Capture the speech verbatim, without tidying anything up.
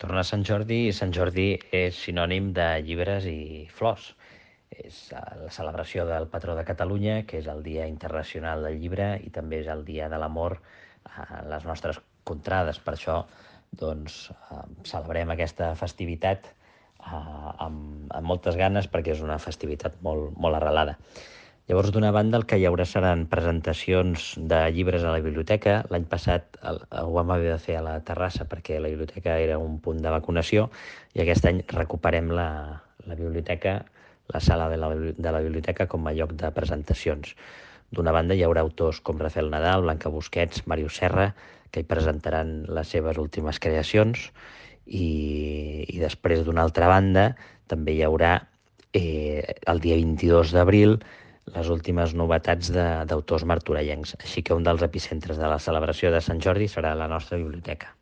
Torna a Sant Jordi i Sant Jordi és sinònim de llibres i flors. És eh, la celebració del patró de Catalunya, que és el Dia Internacional del Llibre i també és el Dia de l'Amor a les nostres contrades. Per això doncs, eh, celebrem aquesta festivitat eh, amb, amb moltes ganes perquè és una festivitat molt, molt arrelada. Llavors, d'una banda, el que hi haurà seran presentacions de llibres a la biblioteca. L'any passat el, ho vam haver de fer a la terrassa perquè la biblioteca era un punt de vacunació i aquest any recuperem la, la biblioteca, la sala de la, de la biblioteca com a lloc de presentacions. D'una banda, hi haurà autors com Rafael Nadal, Blanca Busquets, Màrius Serra, que hi presentaran les seves últimes creacions i, i després, d'una altra banda, també hi haurà eh, el dia vint-i-dos d'abril les últimes novetats d'autors martorellencs. Així que un dels epicentres de la celebració de Sant Jordi serà la nostra biblioteca.